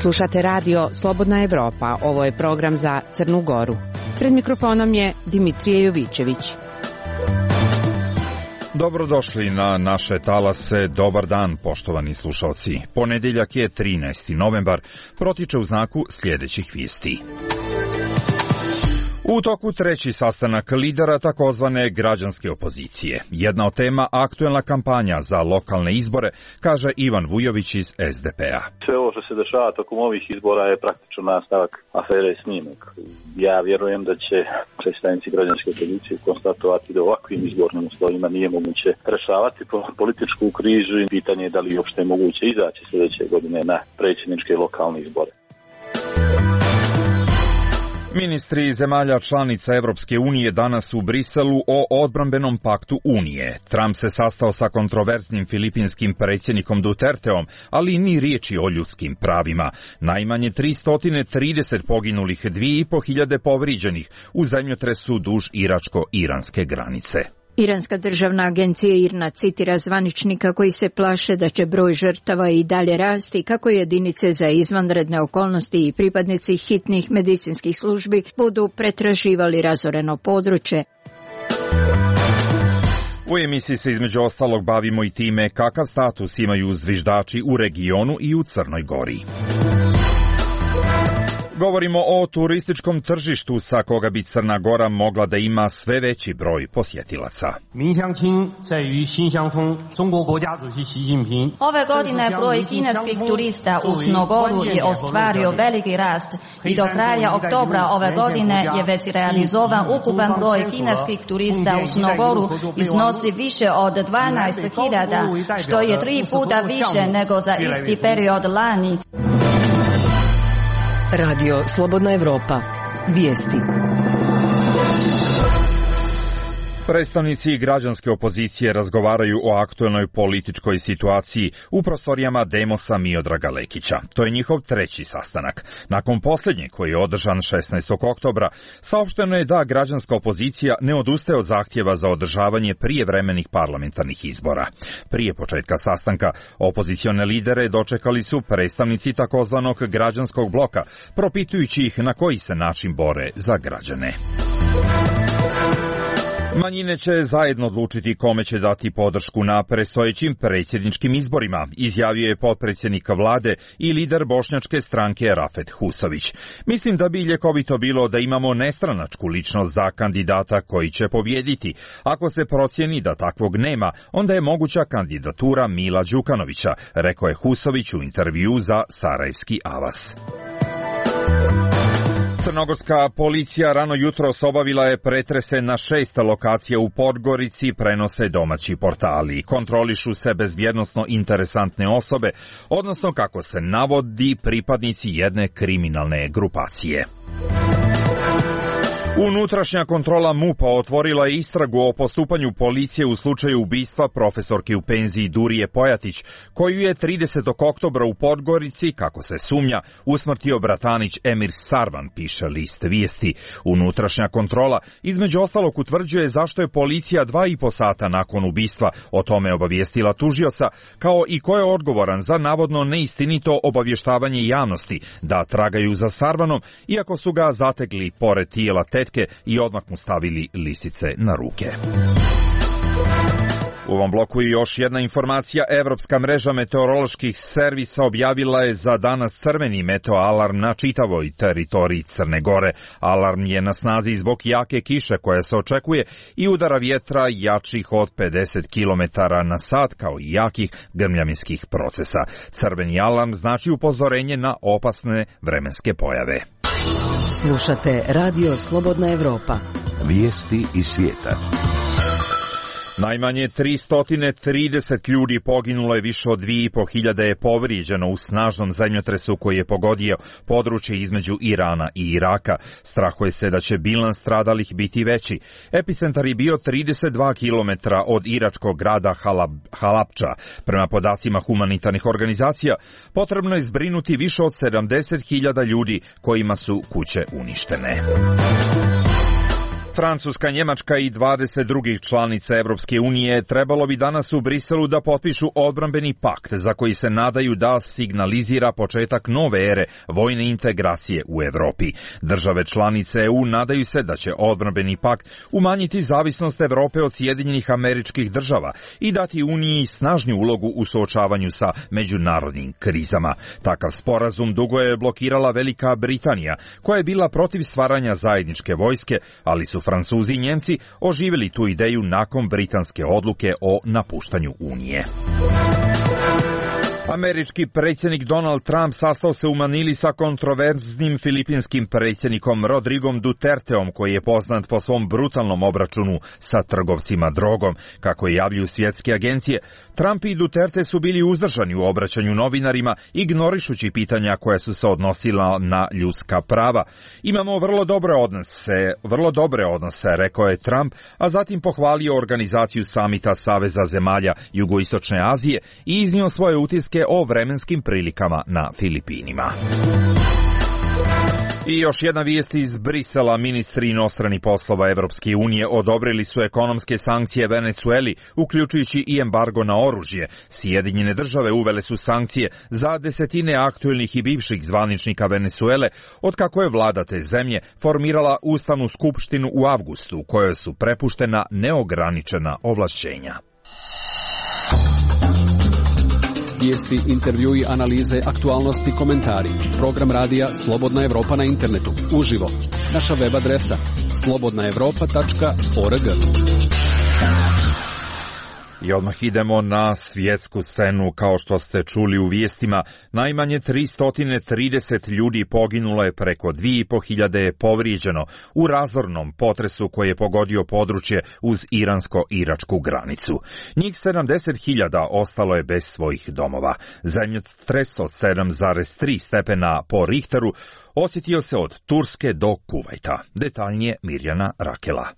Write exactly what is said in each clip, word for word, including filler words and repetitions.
Slušate radio Slobodna Evropa, ovo je program za Crnu Goru. Pred mikrofonom je Dimitrije Jovićević. Dobrodošli na naše talase, dobar dan poštovani slušalci. Ponedeljak je trinaesti novembar, protiče u znaku sljedećih vijesti. U toku treći sastanak lidera takozvane građanske opozicije. Jedna od tema aktuelna kampanja za lokalne izbore, kaže Ivan Vujović iz es de pe a. Sve ovo što se dešava tokom ovih izbora je praktično nastavak afere Snimak. Ja vjerujem da će predstavnici građanske opozicije konstatovati da ovakvim izbornim uslovima nije moguće rešavati političku krizu i pitanje je da li je uopšte moguće izaći sljedeće godine na predsjedničke i lokalne izbore. Ministri zemalja članica Evropske unije danas u Briselu o odbrambenom paktu Unije. Trump se sastao sa kontroverznim filipinskim predsjednikom Duterteom, ali ni riječi o ljudskim pravima. Najmanje tristo trideset poginulih, dvije i po hiljade povrijeđenih u zemljotresu duž iračko-iranske granice. Iranska državna agencija IRNA citira zvaničnika koji se plaše da će broj žrtava i dalje rasti kako jedinice za izvanredne okolnosti i pripadnici hitnih medicinskih službi budu pretraživali razoreno područje. U emisiji se između ostalog bavimo i time kakav status imaju zviždači u regionu i u Crnoj Gori. Govorimo o turističkom tržištu sa koga bi Crna Gora mogla da ima sve veći broj posjetilaca. Ove godine broj kineskih turista u Crnogoru je ostvario veliki rast i do kraja oktobra ove godine je već realizovan ukupan broj kineskih turista u Crnogoru iznosi više od dvanaest hiljada, što je tri puta više nego za isti period lani. Radio Slobodna Evropa. Vijesti. Predstavnici građanske opozicije razgovaraju o aktuelnoj političkoj situaciji u prostorijama Demosa Miodraga Lekića. To je njihov treći sastanak. Nakon posljednjeg, koji je održan šesnaestog oktobra, saopšteno je da građanska opozicija ne odustaje od zahtjeva za održavanje prijevremenih parlamentarnih izbora. Prije početka sastanka, opozicione lidere dočekali su predstavnici takozvanog građanskog bloka, propitujući ih na koji se način bore za građane. Manjine će zajedno odlučiti kome će dati podršku na predstojećim predsjedničkim izborima, izjavio je potpredsjednik vlade i lider bošnjačke stranke Rafet Husović. Mislim da bi ljekovito bilo da imamo nestranačku ličnost za kandidata koji će pobjediti. Ako se procijeni da takvog nema, onda je moguća kandidatura Mila Đukanovića, rekao je Husović u intervju za Sarajevski Avas. Crnogorska policija rano jutros obavila je pretrese na šest lokacija u Podgorici, prenose domaći portali. Kontrolišu se bezbjednosno interesantne osobe, odnosno kako se navodi pripadnici jedne kriminalne grupacije. Unutrašnja kontrola MUP-a otvorila je istragu o postupanju policije u slučaju ubistva profesorke u penziji Durije Pojatić, koju je tridesetog oktobra u Podgorici, kako se sumnja, usmrtio bratanić Emir Sarvan, piše list vijesti. Unutrašnja kontrola između ostalog utvrđuje zašto je policija dva i po sata nakon ubistva o tome obavijestila tužioca, kao i ko je odgovoran za navodno neistinito obavještavanje javnosti da tragaju za Sarvanom, iako su ga zategli pored tijela te i odmah mu stavili lisice na ruke. U ovom bloku je još jedna informacija. Evropska mreža meteoroloških servisa objavila je za danas crveni meteoalarm na čitavoj teritoriji Crne Gore. Alarm je na snazi zbog jake kiše koja se očekuje i udara vjetra jačih od pedeset kilometara na sat, kao i jakih grmljavinskih procesa. Crveni alarm znači upozorenje na opasne vremenske pojave. Slušate Radio Slobodna Evropa. Vijesti iz svijeta. Najmanje tristo trideset ljudi poginulo je, više od dvije i po hiljade je povrijeđeno u snažnom zemljotresu koji je pogodio područje između Irana i Iraka. Strahuje se da će bilans stradalih biti veći. Epicentar je bio trideset dva kilometra od iračkog grada Halab, Halabča. Prema podacima humanitarnih organizacija, potrebno je zbrinuti više od sedamdeset hiljada ljudi kojima su kuće uništene. Francuska, Njemačka i dvadeset drugih članica Evropske unije trebalo bi danas u Briselu da potpišu odbrambeni pakt za koji se nadaju da signalizira početak nove ere vojne integracije u Evropi. Države članice E U nadaju se da će odbrambeni pakt umanjiti zavisnost Evrope od Sjedinjenih Američkih Država i dati Uniji snažniju ulogu u suočavanju sa međunarodnim krizama. Takav sporazum dugo je blokirala Velika Britanija, koja je bila protiv stvaranja zajedničke vojske, ali su Francuzi i Njemci oživjeli tu ideju nakon britanske odluke o napuštanju Unije. Američki predsjednik Donald Trump sastao se u Manili sa kontroverznim filipinskim predsjednikom Rodrigom Duterteom, koji je poznat po svom brutalnom obračunu sa trgovcima drogom. Kako javljuju svjetske agencije, Trump i Duterte su bili uzdržani u obraćanju novinarima, ignorišući pitanja koja su se odnosila na ljudska prava. Imamo vrlo dobre odnose, vrlo dobre odnose, rekao je Trump, a zatim pohvalio organizaciju samita Saveza zemalja Jugoistočne Azije i iznio svoje utiske o vremenskim prilikama na Filipinima. I još jedna vijest iz Brisela. Ministri inostranih poslova Evropske unije odobrili su ekonomske sankcije Venecueli, uključujući i embargo na oružje. Sjedinjene države uvele su sankcije za desetine aktuelnih i bivših zvaničnika Venecuele, otkako je vlada te zemlje formirala Ustavnu skupštinu u avgustu, kojoj su prepuštena neograničena ovlašćenja. Vijesti, intervjui, analize, aktualnosti, komentari. Program radija Slobodna Evropa na internetu. Uživo. Naša web adresa slobodna evropa tačka org. I odmah idemo na svjetsku scenu. Kao što ste čuli u vijestima, najmanje tristo trideset ljudi poginulo je, preko dvije i po hiljade je povrijeđeno u razornom potresu koji je pogodio područje uz iransko-iračku granicu. Njih sedamdeset hiljada ostalo je bez svojih domova. Zemljotres od sedam zarez tri stepena po Richteru osjetio se od Turske do Kuvajta. Detaljnije Mirjana Rakela.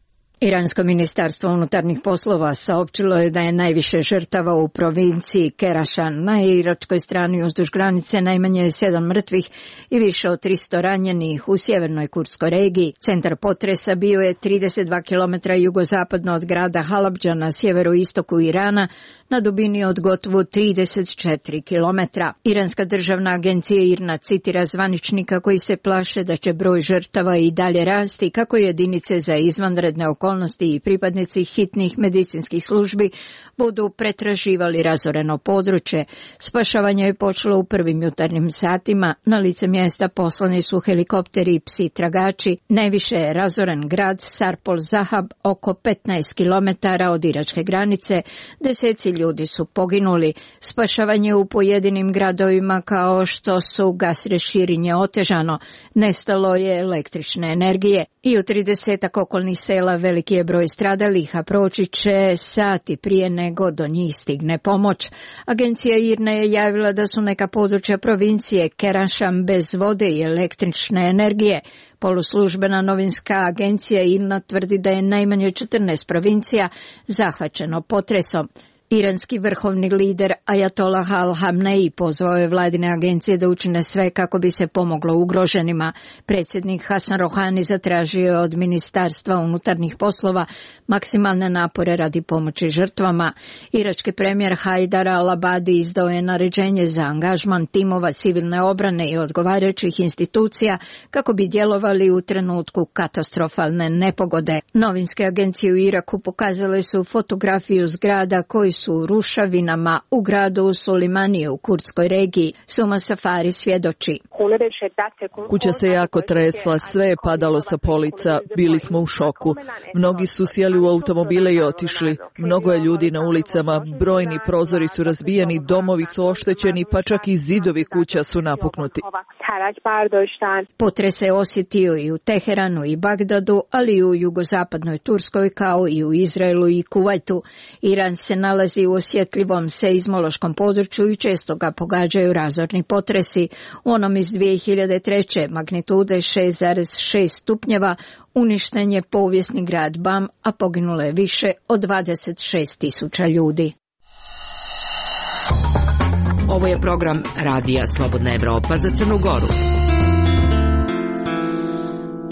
Iransko ministarstvo unutarnjih poslova saopćilo je da je najviše žrtava u provinciji Kerašan. Na iračkoj strani uzduž granice najmanje je sedam mrtvih i više od tristo ranjenih u sjevernoj kurdskoj regiji. Centar potresa bio je trideset dva kilometra jugozapadno od grada Halabdža na sjeveroistoku Irana, na dubini od gotovo trideset četiri kilometra. Iranska državna agencija IRNA citira zvaničnika koji se plaše da će broj žrtava i dalje rasti kako jedinice za izvanredne okolnosti i pripadnici hitnih medicinskih službi budu pretraživali razoreno područje. Spašavanje je počelo u prvim jutarnjim satima. Na lice mjesta poslani su helikopteri i psi tragači. Najviše je razoren grad Sarpol Zahab, oko petnaest kilometara od iračke granice. Deseci ljudi su poginuli. Spašavanje u pojedinim gradovima kao što su Gasre Širinje otežano. Nestalo je električne energije. I u tridesetak okolnih sela veliki je broj stradalih, a proći će sati prije nego do njih stigne pomoć. Agencija IRNA je javila da su neka područja provincije Kerašan bez vode i električne energije. Poluslužbena novinska agencija IRNA tvrdi da je najmanje četrnaest provincija zahvaćeno potresom. Iranski vrhovni lider Ajatollah al-Hamnei pozvao je vladine agencije da učine sve kako bi se pomoglo ugroženima. Predsjednik Hasan Rohani zatražio je od Ministarstva unutarnjih poslova maksimalne napore radi pomoći žrtvama. Irački premijer Hajdar al-Abadi izdao je naređenje za angažman timova civilne obrane i odgovarajućih institucija kako bi djelovali u trenutku katastrofalne nepogode. Novinske agencije u Iraku pokazale su fotografiju zgrada koji su u rušavinama u gradu Sulimanije u kurdskoj regiji. Suma Safari svjedoči. Kuća se jako tresla, sve je padalo sa polica, bili smo u šoku. Mnogi su sjeli u automobile i otišli. Mnogo je ljudi na ulicama, brojni prozori su razbijeni, domovi su oštećeni, pa čak i zidovi kuća su napuknuti. Potres se osjetio i u Teheranu i Bagdadu, ali i u jugozapadnoj Turskoj kao i u Izraelu i Kuvajtu. Iran se nalazi u osjetljivom seizmološkom području i često ga pogađaju razorni potresi. U onom iz dvije hiljade treće magnitude šest zarez šest stupnjeva uništen je povijesni grad Bam, a poginulo je više od dvadeset šest tisuća ljudi. Ovo je program Radija Slobodna Evropa za Crnu Goru.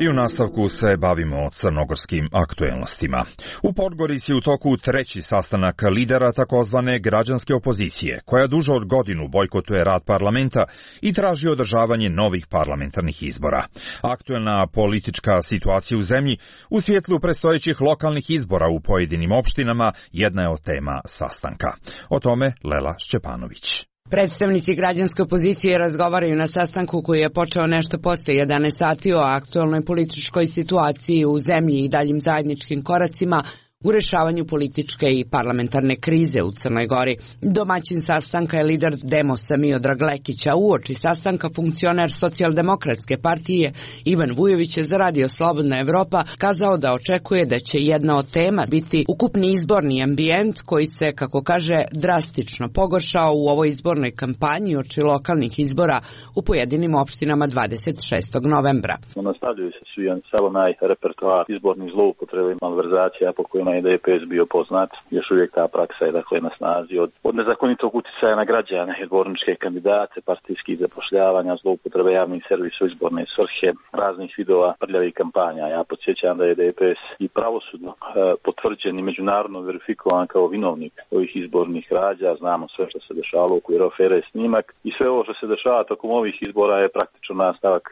I u nastavku se bavimo crnogorskim aktuelnostima. U Podgorici u toku treći sastanak lidera takozvane građanske opozicije, koja duže od godinu bojkotuje rad parlamenta i traži održavanje novih parlamentarnih izbora. Aktuelna politička situacija u zemlji u svjetlu predstojećih lokalnih izbora u pojedinim opštinama jedna je od tema sastanka. O tome Lela Šćepanović. Predstavnici građanske opozicije razgovaraju na sastanku koji je počeo nešto posle jedanaest sati o aktualnoj političkoj situaciji u zemlji i daljim zajedničkim koracima u rešavanju političke i parlamentarne krize u Crnoj Gori. Domaćin sastanka je lider Demosa Miodrag Lekić, a uoči sastanka funkcioner Socijaldemokratske partije Ivan Vujović je za Radio Slobodna Evropa kazao da očekuje da će jedna od tema biti ukupni izborni ambijent koji se, kako kaže, drastično pogoršao u ovoj izbornoj kampanji oči lokalnih izbora u pojedinim opštinama dvadeset šestog novembra. Nastavljaju se svi sav onaj repertoar izbornih zloupotreba i malverzacija po kojima je D P S bio poznat. Još uvijek ta praksa je dakle na snazi od, od nezakonitog uticaja na građane, izborničke kandidate, partijskih zapošljavanja, zloupotrebe javnih servisa u izborne svrhe, raznih vidova prljavih kampanja. Ja podsjećam da je D P S i pravosudno e, potvrđen i međunarodno verifikovan kao vinovnik ovih izbornih krađa. Znamo sve što se dešavalo u okviru afere Snimak i sve ovo što se dešava tokom ovih izbora je praktično nastavak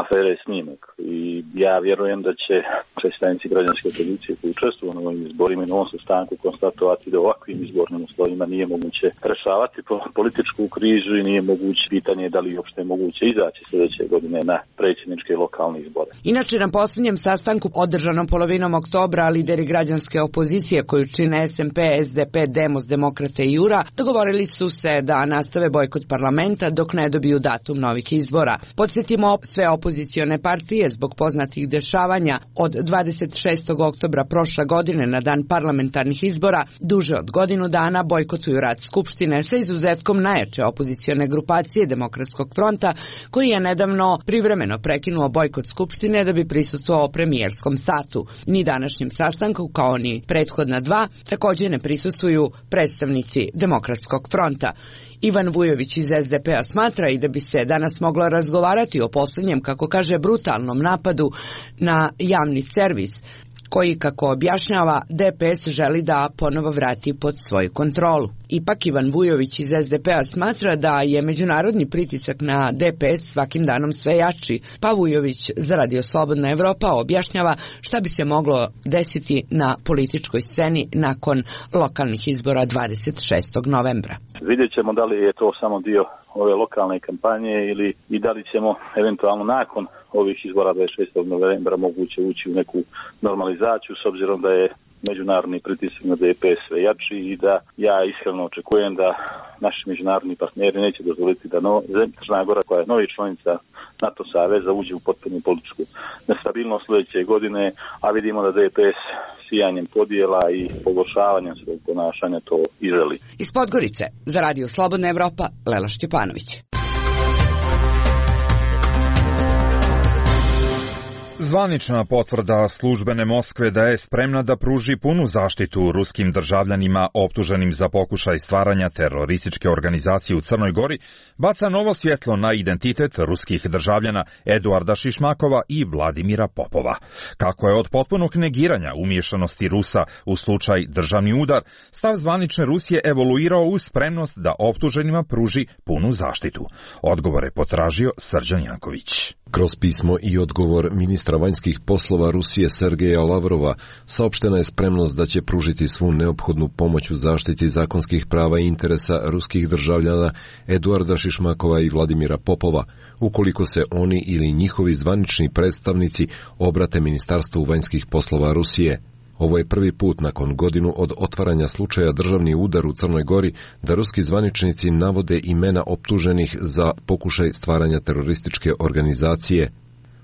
afere Snimak. I ja vjerujem da će predstavnici građanske opozicije koji učestvuju na ovim izborima i na ovom sastanku konstatovati da ovakvim izbornim uslovima nije moguće rešavati političku krizu i nije moguće pitanje da li uopšte je moguće izaći sljedeće godine na predsjedničke i lokalne izbore. Inače, na posljednjem sastanku održanom polovinom oktobra lideri građanske opozicije koju čine S M P, S D P, Demos, Demokrate i Jura dogovorili su se da nastave bojkot parlamenta dok ne dobiju datum novih izbora. Podsjetimo, sve opozicione partije zbog poznatih dešavanja od dvadeset šestog oktobra prošle godine na dan parlamentarnih izbora duže od godinu dana bojkotuju rad Skupštine sa izuzetkom najjače opozicione grupacije Demokratskog fronta koji je nedavno privremeno prekinuo bojkot Skupštine da bi prisustvovao premijerskom satu. Ni današnjem sastanku kao ni prethodna dva također ne prisustvuju predstavnici Demokratskog fronta. Ivan Vujović iz S D P-a smatra i da bi se danas moglo razgovarati o posljednjem, kako kaže, brutalnom napadu na javni servis, koji, kako objašnjava, D P S želi da ponovo vrati pod svoju kontrolu. Ipak Ivan Vujović iz S D P-a smatra da je međunarodni pritisak na D P S svakim danom sve jači, pa Vujović za Radio Slobodna Evropa objašnjava šta bi se moglo desiti na političkoj sceni nakon lokalnih izbora dvadeset šestog novembra. Vidjet ćemo da li je to samo dio ove lokalne kampanje ili i da li ćemo eventualno nakon ovih izbora dvadeset šestog novembra moguće ući u neku normalizaciju s obzirom da je međunarodni pritisak na D P S sve jači i da ja iskreno očekujem da naši međunarodni partneri neće dozvoliti da no, Crna Gora koja je novi članica NATO saveza uđe u potpunu političku nestabilnost sljedeće godine, a vidimo da D P S sijanjem podjela i pogoršavanjem svog ponašanja to i želi. Iz Podgorice za Radio Slobodna Evropa, Lela Šćepanović. Zvanična potvrda službene Moskve da je spremna da pruži punu zaštitu ruskim državljanima optuženim za pokušaj stvaranja terorističke organizacije u Crnoj Gori baca novo svjetlo na identitet ruskih državljana Eduarda Šišmakova i Vladimira Popova. Kako je od potpunog negiranja umiješanosti Rusa u slučaj državni udar, stav zvanične Rusije evoluirao uz spremnost da optuženima pruži punu zaštitu. Odgovor je potražio Srđan Janković. Kroz pismo i odgovor ministra vanjskih poslova Rusije Sergeja Lavrova saopštena je spremnost da će pružiti svu neophodnu pomoć u zaštiti zakonskih prava i interesa ruskih državljana Eduarda Šišmakova i Vladimira Popova, ukoliko se oni ili njihovi zvanični predstavnici obrate Ministarstvu vanjskih poslova Rusije. Ovo je prvi put nakon godinu od otvaranja slučaja državni udar u Crnoj Gori da ruski zvaničnici navode imena optuženih za pokušaj stvaranja terorističke organizacije.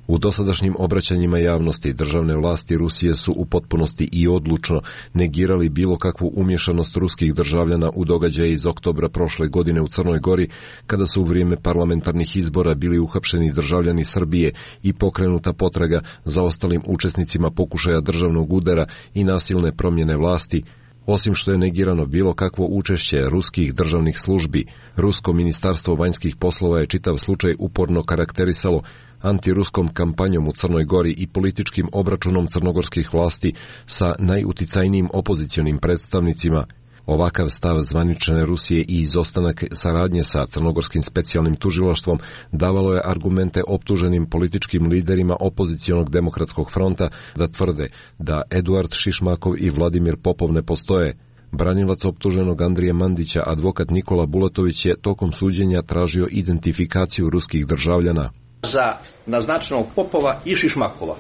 U dosadašnjim obraćanjima javnosti državne vlasti Rusije su u potpunosti i odlučno negirali bilo kakvu umješanost ruskih državljana u događaje iz oktobra prošle godine u Crnoj Gori, kada su u vrijeme parlamentarnih izbora bili uhapšeni državljani Srbije i pokrenuta potraga za ostalim učesnicima pokušaja državnog udara i nasilne promjene vlasti. Osim što je negirano bilo kakvo učešće ruskih državnih službi, Rusko ministarstvo vanjskih poslova je čitav slučaj uporno karakterisalo antiruskom kampanjom u Crnoj Gori i političkim obračunom crnogorskih vlasti sa najuticajnijim opozicionim predstavnicima. Ovakav stav zvanične Rusije i izostanak saradnje sa crnogorskim specijalnim tužilaštvom davalo je argumente optuženim političkim liderima opozicionog demokratskog fronta da tvrde da Eduard Šišmakov i Vladimir Popov ne postoje. Branilac optuženog Andrije Mandića, advokat Nikola Bulatović, je tokom suđenja tražio identifikaciju ruskih državljana. Za naznačenog Popova i Šišmakova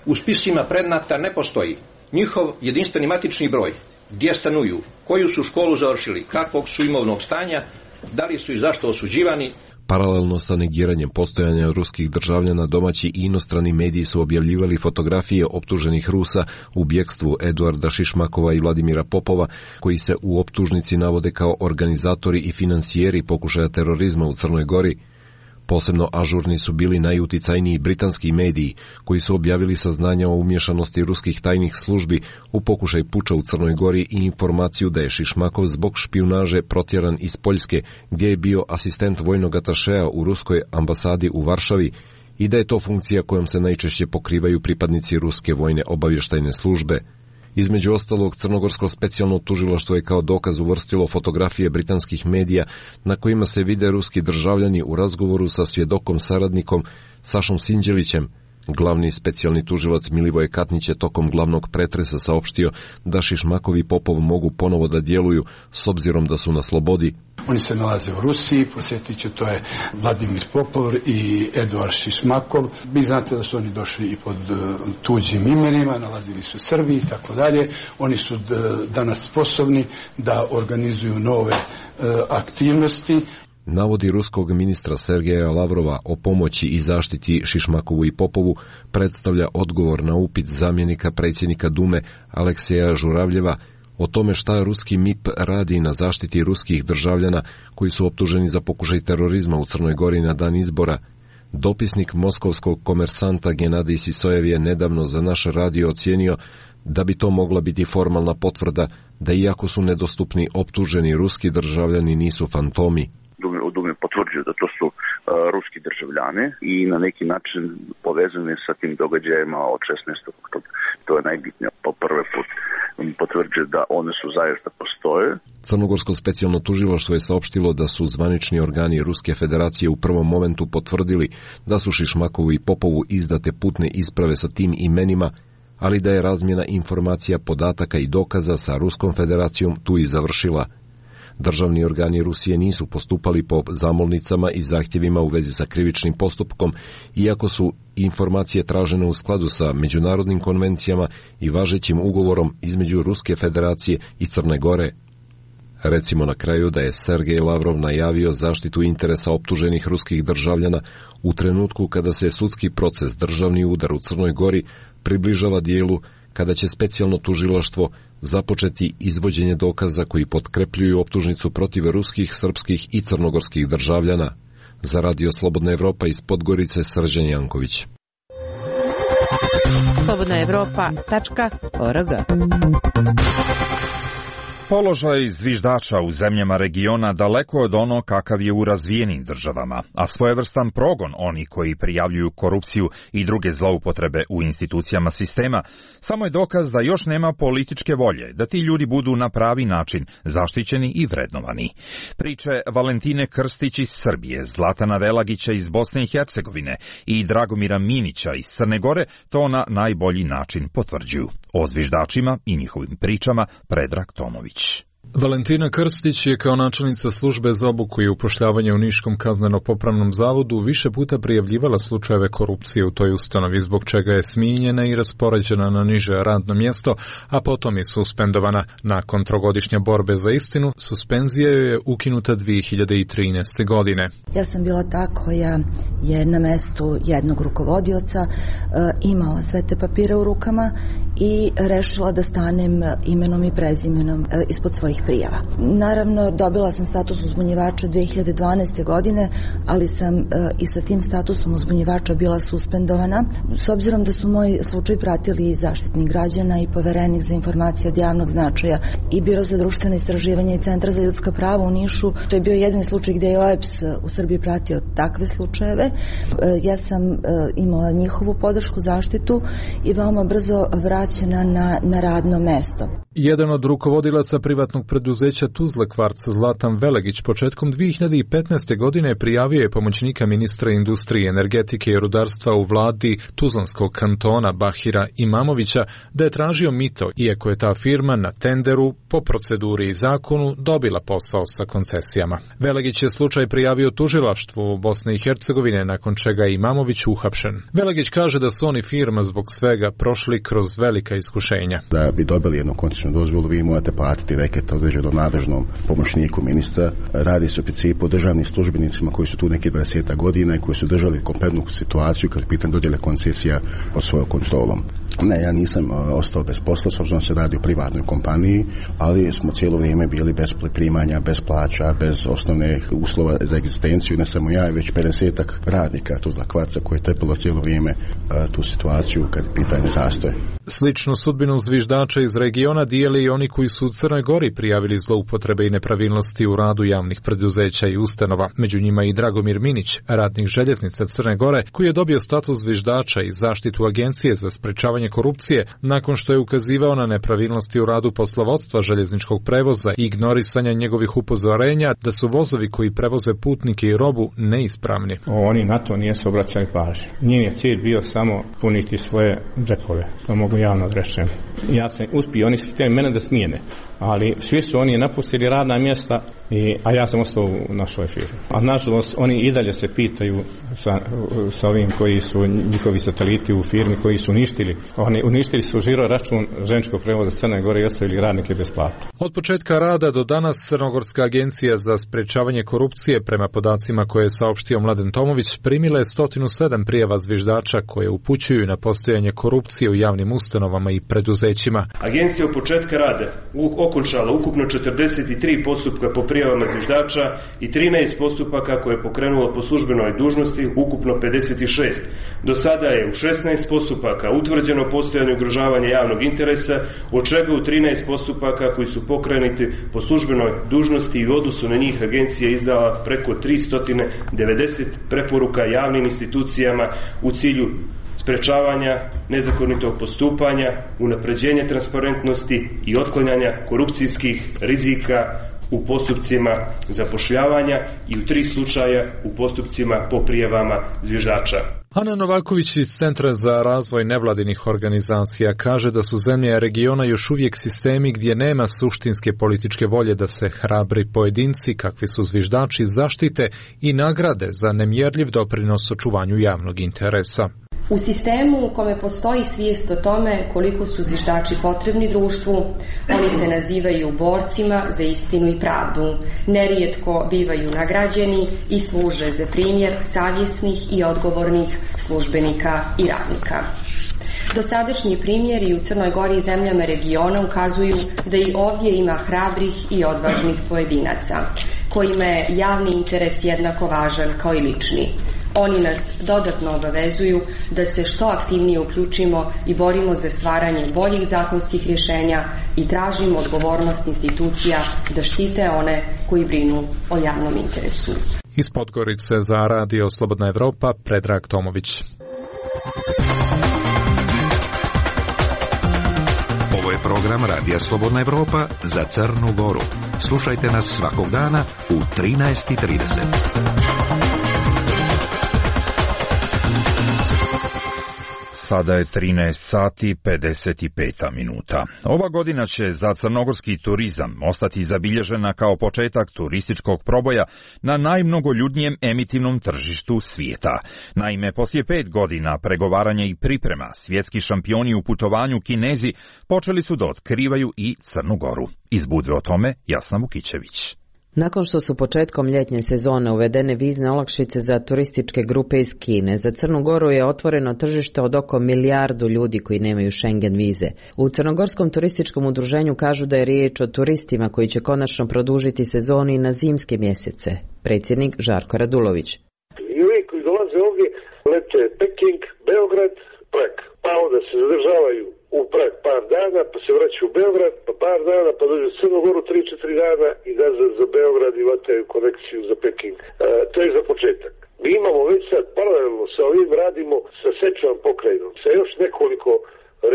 u spisima predmeta ne postoji njihov jedinstveni matični broj, gdje stanuju, koju su školu završili, kakvog su imovnog stanja, da li su i zašto osuđivani. Paralelno sa negiranjem postojanja ruskih državljana, domaći i inostrani mediji su objavljivali fotografije optuženih Rusa u bjekstvu Eduarda Šišmakova i Vladimira Popova, koji se u optužnici navode kao organizatori i finansijeri pokušaja terorizma u Crnoj Gori. Posebno ažurni su bili najuticajniji britanski mediji, koji su objavili saznanja o umješanosti ruskih tajnih službi u pokušaj puča u Crnoj Gori i informaciju da je Šišmakov zbog špijunaže protjeran iz Poljske, gdje je bio asistent vojnog atašea u ruskoj ambasadi u Varšavi, i da je to funkcija kojom se najčešće pokrivaju pripadnici ruske vojne obavještajne službe. Između ostalog, Crnogorsko specijalno tužilaštvo je kao dokaz uvrstilo fotografije britanskih medija na kojima se vide ruski državljani u razgovoru sa svjedokom saradnikom Sašom Sinđelićem. Glavni specijalni tužilac Milivoje Katnić je tokom glavnog pretresa saopštio da Šišmakov i Popov mogu ponovo da djeluju s obzirom da su na slobodi. Oni se nalaze u Rusiji, posjetit će, to je Vladimir Popov i Eduard Šišmakov. Vi znate da su oni došli i pod tuđim imenima, nalazili su u Srbiji i tako dalje. Oni su danas sposobni da organizuju nove aktivnosti. Navodi ruskog ministra Sergeja Lavrova o pomoći i zaštiti Šišmakovu i Popovu predstavlja odgovor na upit zamjenika predsjednika Dume Alekseja Žuravljeva o tome šta ruski M I P radi na zaštiti ruskih državljana koji su optuženi za pokušaj terorizma u Crnoj Gori na dan izbora. Dopisnik moskovskog komersanta Genadij Sisojev je nedavno za naš radio ocijenio da bi to mogla biti formalna potvrda da iako su nedostupni optuženi ruski državljani nisu fantomi. U Dumi potvrđuju da to su uh, ruski državljani i na neki način povezani sa tim događajima od šesnaestog oktobra. To je najbitnije. Po prvi put potvrđuje da one su zaista postoje. Crnogorsko specijalno tužilaštvo je saopštilo da su zvanični organi Ruske federacije u prvom momentu potvrdili da su Šišmakovu i Popovu izdate putne isprave sa tim imenima, ali da je razmjena informacija, podataka i dokaza sa Ruskom federacijom tu i završila. Državni organi Rusije nisu postupali po zamolnicama i zahtjevima u vezi sa krivičnim postupkom, iako su informacije tražene u skladu sa međunarodnim konvencijama i važećim ugovorom između Ruske federacije i Crne Gore. Recimo na kraju da je Sergej Lavrov najavio zaštitu interesa optuženih ruskih državljana u trenutku kada se sudski proces državni udar u Crnoj Gori približava dijelu kada će specijalno tužilaštvo započeti izvođenje dokaza koji potkrepljuju optužnicu protiv ruskih, srpskih i crnogorskih državljana. Za Radio Slobodna Evropa iz Podgorice, Srđan Janković. slobodna evropa tačka org. Položaj zviždača u zemljama regiona daleko od ono kakav je u razvijenim državama, a svojevrstan progon oni koji prijavljuju korupciju i druge zloupotrebe u institucijama sistema samo je dokaz da još nema političke volje da ti ljudi budu na pravi način zaštićeni i vrednovani. Priče Valentine Krstić iz Srbije, Zlatana Velagića iz Bosne i Hercegovine i Dragomira Minića iz Crne Gore to na najbolji način potvrđuju. O zviždačima i njihovim pričama Predrag Tomović. Valentina Krstić je kao načelnica službe za obuku i upošljavanje u Niškom kazneno-popravnom zavodu više puta prijavljivala slučajeve korupcije u toj ustanovi, zbog čega je smijenjena i raspoređena na niže radno mjesto, a potom je suspendovana. Nakon trogodišnje borbe za istinu, suspenzija joj je ukinuta dvije hiljade trinaeste. godine. Ja sam bila ta koja je na mestu jednog rukovodioca e, imala sve te papire u rukama i rešila da stanem imenom i prezimenom e, ispod svojih prijava. Naravno, dobila sam status uzbunjivača dve hiljade dvanaeste. godine, ali sam e, i sa tim statusom uzbunjivača bila suspendovana. S obzirom da su moj slučaj pratili Zaštitnik građana i Poverenik za informacije od javnog značaja i Biro za društveno istraživanje i Centar za ljudska prava u Nišu, to je bio jedini slučaj gdje je O E P S u Srbiji pratio takve slučajeve. E, ja sam e, imala njihovu podršku, zaštitu i veoma brzo vraćena na, na radno mesto. Jedan od rukovodilaca privatnog preduzeća Tuzla Kvarc, Zlatan Velegić, početkom dve hiljade petnaeste. godine prijavio je pomoćnika ministra industrije, energetike i rudarstva u vladi Tuzlanskog kantona Bahira Imamovića da je tražio mito, iako je ta firma na tenderu po proceduri i zakonu dobila posao sa koncesijama. Velegić je slučaj prijavio tužilaštvu Bosne i Hercegovine, nakon čega je Imamović uhapšen. Velegić kaže da su oni firma zbog svega prošli kroz velika iskušenja. Da bi dobili jednu koncesijnu dozvolu, vi morate platiti reket određenom nadležnom pomoćniku ministra. Radi se u principu o državnim službenicima koji su tu neki dvadeset godina i koji su držali kompletnu situaciju kad pitan dodjele koncesija pod svojom kontrolom. Ne, ja nisam ostao bez posla, s obzirom se radi o privatnoj kompaniji, ali smo cijelo vrijeme bili bez primanja, bez plaća, bez osnovnih uslova za egzistenciju, ne samo ja, već pedesetak radnika Tuzla Kvarca koji je trpilo cijelo vrijeme a, tu situaciju kad pitanje zastoje. Sličnu sudbinu zviždača iz regiona dijeli i oni koji su u Crnoj Gori prijavili zloupotrebe i nepravilnosti u radu javnih preduzeća i ustanova. Među njima i Dragomir Minić, radnik željeznica Crne Gore, koji je dobio status zviždača i zaštitu Agencije za sprečavanje korupcije nakon što je ukazivao na nepravilnosti u radu poslovodstva željezničkog prevoza i ignorisanja njegovih upozorenja da su vozovi koji prevoze putnike i robu neispravni. Oni na to nije se obraćali pažnju. Njim je cilj bio samo puniti svoje džepove. To mogu javno reći. Ja sam uspio, oni su htjeli mene da smijene, ali svi su oni napustili radna mjesta, i, a ja sam ostao u našoj firmi. A nažalost, oni i dalje se pitaju sa, sa ovim koji su njihovi sateliti u firmi koji su uništili. Oni uništili su žiro račun željezničkog prevoza Crne Gore i ostavili radnike bez plata. Od početka rada do danas Crnogorska agencija za sprečavanje korupcije, prema podacima koje je saopštio Mladen Tomović, primila je sto sedam prijava zviždača koje upućuju na postojanje korupcije u javnim ustanovama i preduzećima. Agencija od početka rada okončala ukupno četrdeset tri postupka po prijavama zviždača i trinaest postupaka koje je pokrenulo po službenoj dužnosti, ukupno pedeset šest. Do sada je u šesnaest postupaka utvrđeno postojanje ugrožavanja javnog interesa, od čega u trinaest postupaka koji su pokrenuti po službenoj dužnosti i u odnosu na njih agencija izdala preko tristo devedeset preporuka javnim institucijama u cilju sprečavanja nezakonitog postupanja, unapređenja transparentnosti i otklanjanja korupcijskih rizika u postupcima zapošljavanja i u tri slučaja u postupcima po prijavama zviždača. Ana Novaković iz Centra za razvoj nevladinih organizacija kaže da su zemlje regiona još uvijek sistemi gdje nema suštinske političke volje da se hrabri pojedinci, kakvi su zviždači, zaštite i nagrade za nemjerljiv doprinos očuvanju javnog interesa. U sistemu u kome postoji svijest o tome koliko su zviždači potrebni društvu, oni se nazivaju borcima za istinu i pravdu. Nerijetko bivaju nagrađeni i služe za primjer savjesnih i odgovornih službenika i radnika. Dosadašnji primjeri u Crnoj Gori i zemljama regiona ukazuju da i ovdje ima hrabrih i odvažnih pojedinaca, kojima je javni interes jednako važan kao i lični. Oni nas dodatno obavezuju da se što aktivnije uključimo i borimo za stvaranje boljih zakonskih rješenja i tražimo odgovornost institucija da štite one koji brinu o javnom interesu. Iz Podgorice za radio Slobodna Evropa, Predrag Tomović. Ovo je program Radija Slobodna Evropa za Crnu Goru. Slušajte nas svakog dana u trinaest i trideset. Sada je trinaest sati pedeset pet minuta. Ova godina će za crnogorski turizam ostati zabilježena kao početak turističkog proboja na najmnogoljudnijem emitivnom tržištu svijeta. Naime, poslije pet godina pregovaranja i priprema, svjetski šampioni u putovanju Kinezi počeli su da otkrivaju i Crnu Goru. Iz Budve o tome Jasna Vukićević. Nakon što su početkom ljetnje sezone uvedene vizne olakšice za turističke grupe iz Kine, za Crnu Goru je otvoreno tržište od oko milijardu ljudi koji nemaju Schengen vize. U Crnogorskom turističkom udruženju kažu da je riječ o turistima koji će konačno produžiti sezonu i na zimske mjesece. Predsjednik Žarko Radulović. I uvijek koji dolaze ovdje lete Peking, Beograd, Prag, pa onda se zadržavaju u Prag par dana, pa se vraćaju u Beograd, pa par dana, pa dođu u Crnu Goru tri četiri dana i nazad za Beograd i vataju konekciju za Peking. E, to je za početak. Mi imamo već sad paralelno sa ovim radimo sa Sečuan pokrajinom, sa još nekoliko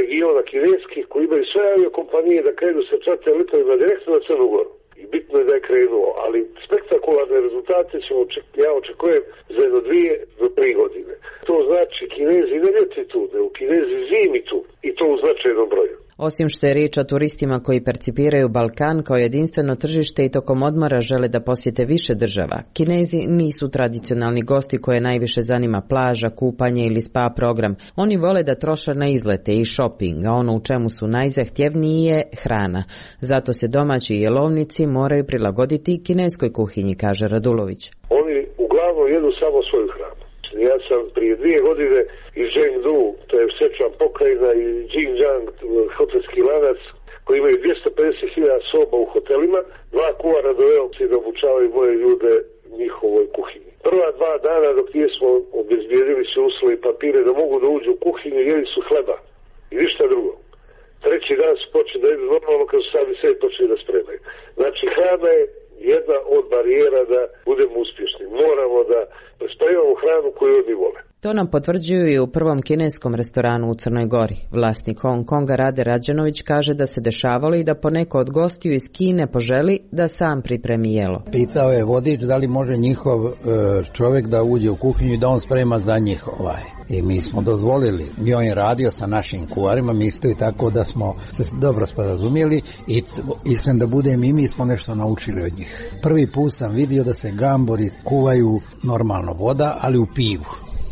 regiona kineskih koji imaju sve aviokompanije da krenu sa čarter letovima direktno na Crnu Goru. I bitno je da je krenuo, ali spektakularne rezultate ćemo, ja očekujem za jedno dvije do tri godine. To znači Kinezi ne ljeti tu, nego Kinezi zimi tu i to u značajnom broju. Osim što je riječ o turistima koji percipiraju Balkan kao jedinstveno tržište i tokom odmora žele da posjete više država, Kinezi nisu tradicionalni gosti koje najviše zanima plaža, kupanje ili spa program. Oni vole da troše na izlete i shopping, a ono u čemu su najzahtjevniji je hrana. Zato se domaći jelovnici moraju prilagoditi kineskoj kuhinji, kaže Radulović. Oni uglavnom jedu samo svoju hranu. Ja sam prije dvije godine iz Zhengdu, to je Sečuan pokrajina, i Jinjiang, hotelski lanac, koji imaju dvjesto pedeset hiljada soba u hotelima, dva kuvara doveo se da obučavaju moje ljude njihovoj kuhinji. Prva dva dana dok nismo obezbijedili se uslove i papire da mogu da uđu u kuhinju, jeli su hleba i ništa drugo. Treći dan su počeli da jedu normalno kad su sami sebi počeli da spremaju. Znači hrana je jedna od barijera da budemo uspješni. Moramo da spremamo hranu koju oni vole. To nam potvrđuju i u prvom kineskom restoranu u Crnoj Gori. Vlasnik Hong Konga Rade Rađanović kaže da se dešavalo i da poneko od gostiju iz Kine poželi da sam pripremi jelo. Pitao je vodič da li može njihov čovjek da uđe u kuhinju i da on sprema za njih ovaj. I mi smo dozvolili. Mi on je radio sa našim kuvarima, mi isto i tako da smo se dobro sporazumjeli i iskreno da budem i mi smo nešto naučili od njih. Prvi put sam vidio da se gambori kuvaju normalno voda, ali u pivu.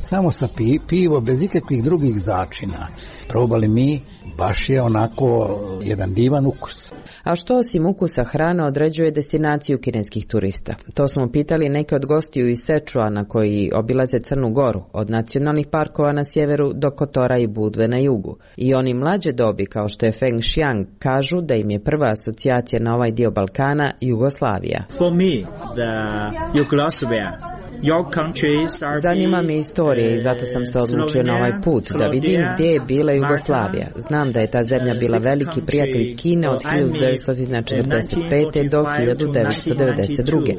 Samo sa pi, pivo, bez ikakvih drugih začina. Probali mi, baš je onako jedan divan ukus. A što osim ukusa hrane određuje destinaciju kineskih turista? To smo pitali neke od gostiju iz Sečuana koji obilaze Crnu Goru, od nacionalnih parkova na sjeveru do Kotora i Budve na jugu. I oni mlađe dobi, kao što je Feng Xiang, kažu da im je prva asocijacija na ovaj dio Balkana Jugoslavija. For me, the Yugoslavia. Zanima me istorija i zato sam se odlučio na ovaj put, da vidim gdje je bila Jugoslavija. Znam da je ta zemlja bila veliki prijatelj Kine od hiljadu devetsto četrdeset pete. do hiljadu devetsto devedeset druge.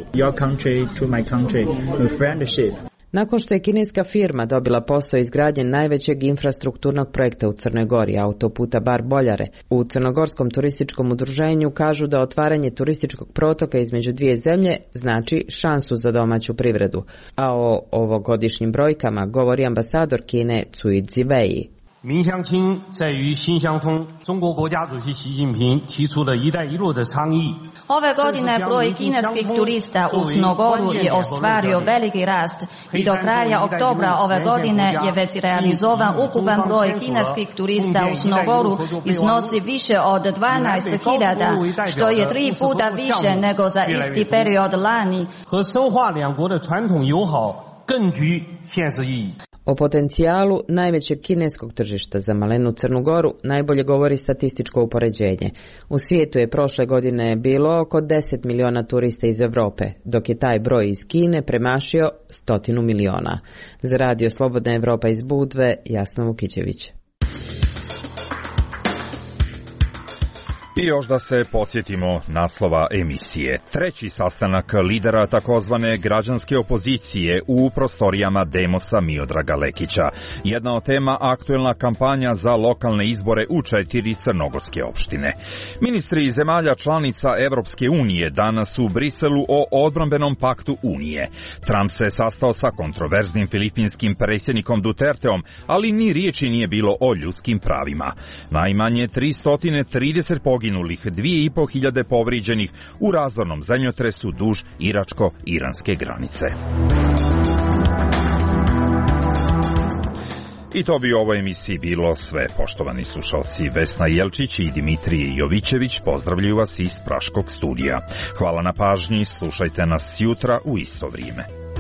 Nakon što je kineska firma dobila posao izgradnje najvećeg infrastrukturnog projekta u Crnoj Gori, autoputa Bar-Boljare, u Crnogorskom turističkom udruženju kažu da otvaranje turističkog protoka između dvije zemlje znači šansu za domaću privredu. A o ovogodišnjim brojkama govori ambasador Kine Cui Ziwei. 民相亲在于心相通。中国国家主席习近平提出了一带一路的倡议。 Ove godine broj kineskih turista u Crnogoru je ostvario veliki rast i do kraja oktobra ove godine je već realizovan ukupan broj kineskih turista u Crnogoru iznosi više od dvanaest hiljada, što je tri puta više nego za isti period lani. 和深化两国的传统友好更具现实意义。 O potencijalu najvećeg kineskog tržišta za malenu Crnu Goru najbolje govori statističko upoređenje. U svijetu je prošle godine bilo oko deset miliona turista iz Europe, dok je taj broj iz Kine premašio stotinu miliona. Za radio Slobodna Evropa iz Budve, Jasna Vukićević. I još da se podsjetimo naslova emisije. Treći sastanak lidera takozvane građanske opozicije u prostorijama Demosa Miodraga Lekića. Jedna od tema aktuelna kampanja za lokalne izbore u četiri crnogorske opštine. Ministri zemalja članica Evropske unije danas u Briselu o odbrambenom paktu Unije. Trump se sastao sa kontroverznim filipinskim predsjednikom Duterteom, ali ni riječi nije bilo o ljudskim pravima. Najmanje tristo trideset poginulih, dvije i po hiljade povrijeđenih u razornom zemljotresu duž iračko-iranske granice. I to bi u ovoj emisiji bilo sve. Poštovani slušalci, Vesna Jelčić i Dimitrije Jovićević pozdravljaju vas iz Praškog studija. Hvala na pažnji, slušajte nas jutra u isto vrijeme.